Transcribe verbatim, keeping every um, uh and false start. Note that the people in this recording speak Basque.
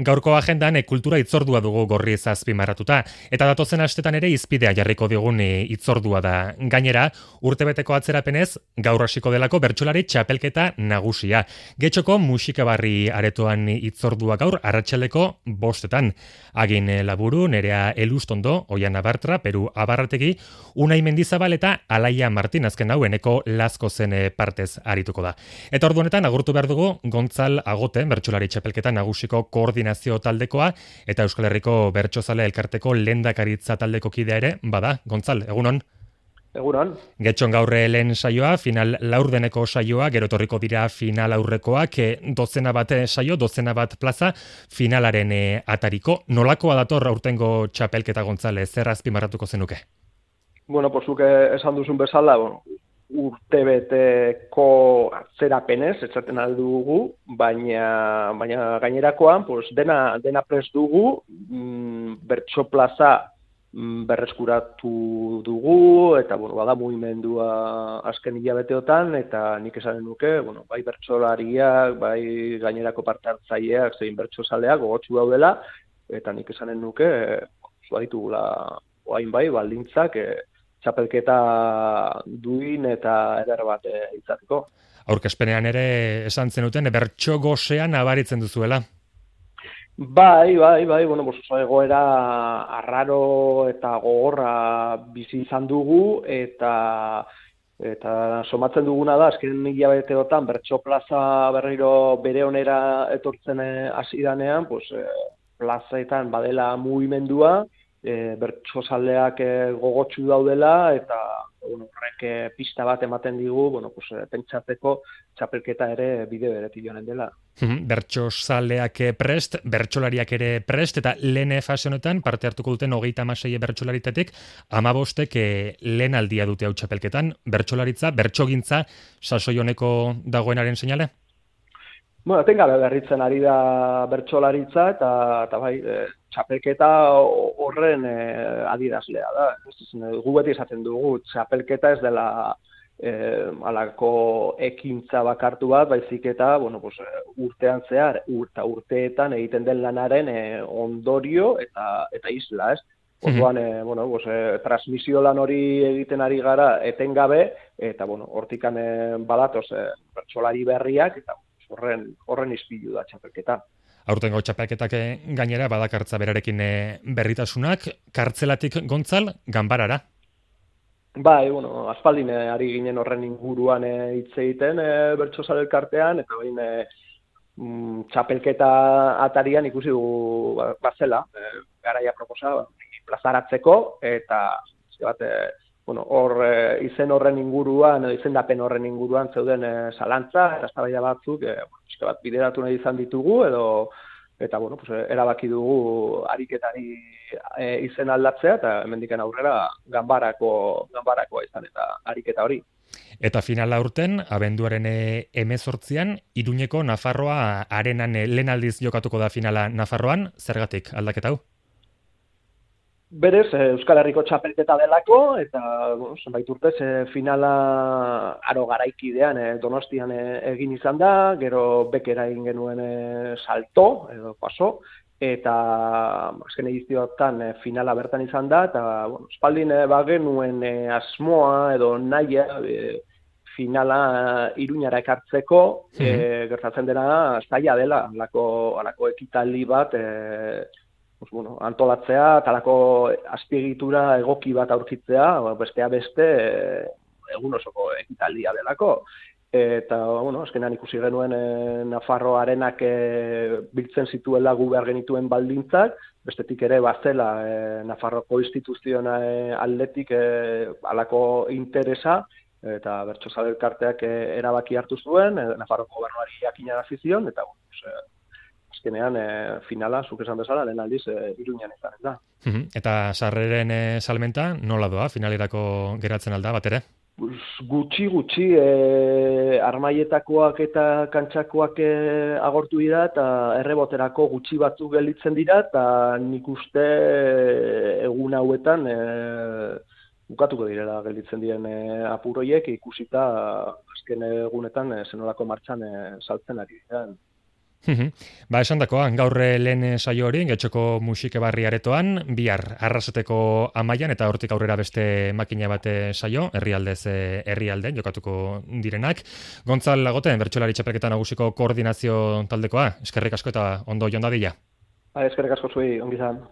Gaurko agendan e, kultura itzordua dugu gorriz azpimarratuta, eta datozen astetan ere izpidea jarriko digun e, itzordua da. Gainera, urtebeteko atzerapenez, gaur hasiko delako bertsolari txapelketa nagusia. Getxoko musikabarri aretoan itzordua gaur arratsaldeko bostetan. Agin Laburu, Nerea Elustondo, Oiana Bartra, Peru Abarrategi, Unai Mendizabal eta Alaia Martin azken hau eneko Lazko zen partez arituko da. Eta ordu honetan agurtu behar dugu Gontzal Agote, bertsolari txapelketa nagusiko koordinazio taldekoa eta Euskal Herriko Bertsozale Elkarteko lehendakaritza taldeko kidea ere, bada, Gontzal, egunon? Egunon. Getxon gaurre lehen saioa, final laurdeneko saioa, gero etorriko dira final aurrekoak, e, dozena bat saio, dozena bat plaza, finalaren e, atariko. Nolakoa dator aurtengo txapelketa, Gontzale, zer azpimarratuko zenuke? Bueno, posuke esan duzun bezala, bueno, urtebeteko atzerapenez, etzaten aldugu, baina, baina gainerakoan, pues, dena, dena prest dugu, mm, bertso plaza mm, berreskuratu dugu, eta bueno, bada mugimendua azken hilabeteotan, eta nik esanen nuke, bueno, bai bertsolariak, bai gainerako parte hartzaileak, zein bertsozaleak gogotsu daudela, eta nik esanen nuke, baditugula oain bai, baldintzak, e, txapelketa duin eta eder bat e, izateko. Aurkezpenean ere esan zenuten, bertso gosean nabaritzen duzuela. Bai, bai, bai, bueno, pues oso egoera arraro eta gogorra bizi izan dugu, eta eta somatzen duguna da, azken hilabeteotan bertso plaza berriro bere onera etortzen hasi danean, pues, e, plazaetan badela mugimendua, E, bertsozaleak e, gogotsu daudela eta bueno, horrek e, pista bat ematen digu, bueno, pues, e, pentsatzeko txapelketa ere bide beretik joanen dela. Bertsozaleak prest, bertsolariak ere prest, eta lehen fase honetan parte hartuko duten hogeita hamasei bertsolaritatik hamabostek e, lehen aldia dute hau txapelketan. Bertsolaritza, bertsogintza sasoi honeko dagoenaren seinale? Bueno, etengabe berritzen ari da bertsolaritza eta, eta bai, e, txapelketa horren e, adierazlea da. Gu beti esaten dugu, txapelketa ez dela e, alako ekintza bakartu bat, baizik eta bueno, pues, urtean zehar, urta urteetan egiten den lanaren e, ondorio eta, eta isla, ez? Orduan, e, bueno, pues, e, transmisio lan hori egiten ari gara etengabe, eta bueno, hortikan e, badatoz e, bertsolari berriak, eta horren, horren izpilu da txapelketa. Aurtengo txapelketak gainera badakartza berarekin berritasunak, kartzelatik Gontzal, ganbarara. Bai, bueno, aspaldin ari ginen horren inguruan hitz egiten e, bertsozale elkartean, eta bain e, mm, txapelketa atarian ikusi dugu bazela, e, garaia proposa, plazaratzeko, eta bat, e, bueno, hor e, izen horren inguruan, edo izendapen horren inguruan zeuden e, zalantza, eta eztabaida batzuk, e, bueno, bat bideratu nahi izan ditugu, edo eta bueno, pues, erabaki dugu ariketari e, izen aldatzea, eta hemendiken aurrera ganbarako, ganbarakoa izan eta ariketa hori. Eta finala urten, abenduaren hemezortzian, Iruñeko Nafarroa arenan lehen aldiz jokatuko da finala Nafarroan, zergatik aldaketa hau? Berez, Euskal Herriko txapelketa delako, eta bueno, zenbait urtez e, finala aro garaikidean e, Donostian e, egin izan da, gero bekera egin genuen e, salto, edo paso, eta azken edizioetan e, finala bertan izan da, eta bueno, espaldin e, bagenuen e, asmoa edo nahia e, finala Iruñara ekartzeko, mm-hmm. e, gertatzen dena zaila dela, alako, alako ekitaldi bat, e, Pues, bueno, antolatzea, talako azpiegitura egoki bat aurkitzea, bestea beste egun osoko ekitaldia delako. Eta, bueno, azkenean ikusi genuen e, Nafarro arenak e, biltzen zituela gu behar genituen baldintzak, bestetik ere bazela e, Nafarroko instituzioa e, aldetik e, alako interesa, eta bertsozale elkarteak e, erabaki hartu zuen, e, Nafarroko gobernuari jakinarazi zion, eta, bueno, pues, azkenean e, finala, zuk esan bezala, lehen aldiz e, Iruñan izanen da. Uh-huh. Eta sarreren e, salmenta nola doa, finalerako geratzen alda, bat ere? Gutxi, gutxi, e, armaietakoak eta kantxakoak e, agortu dira, eta erreboterako gutxi batzuk gelditzen dira, eta nik uste egun hauetan e, bukatuko direla gelditzen diren e, apuroiek, ikusita azken egunetan e, zenolako martxan e, saltzen ari dira. Ba, esan dakoa, gaur lehen saio hori, getxoko musike barri aretoan, bihar arraseteko amaian, eta hortik aurrera beste makina bate saio, herrialdez herrialde, jokatuko direnak. Gontzal Lagoten, bertsolari txapelketa nagusiko koordinazio taldekoa, eskerrik asko eta ondo joan dadila. Ba, eskerrik asko zuei, ongi izan.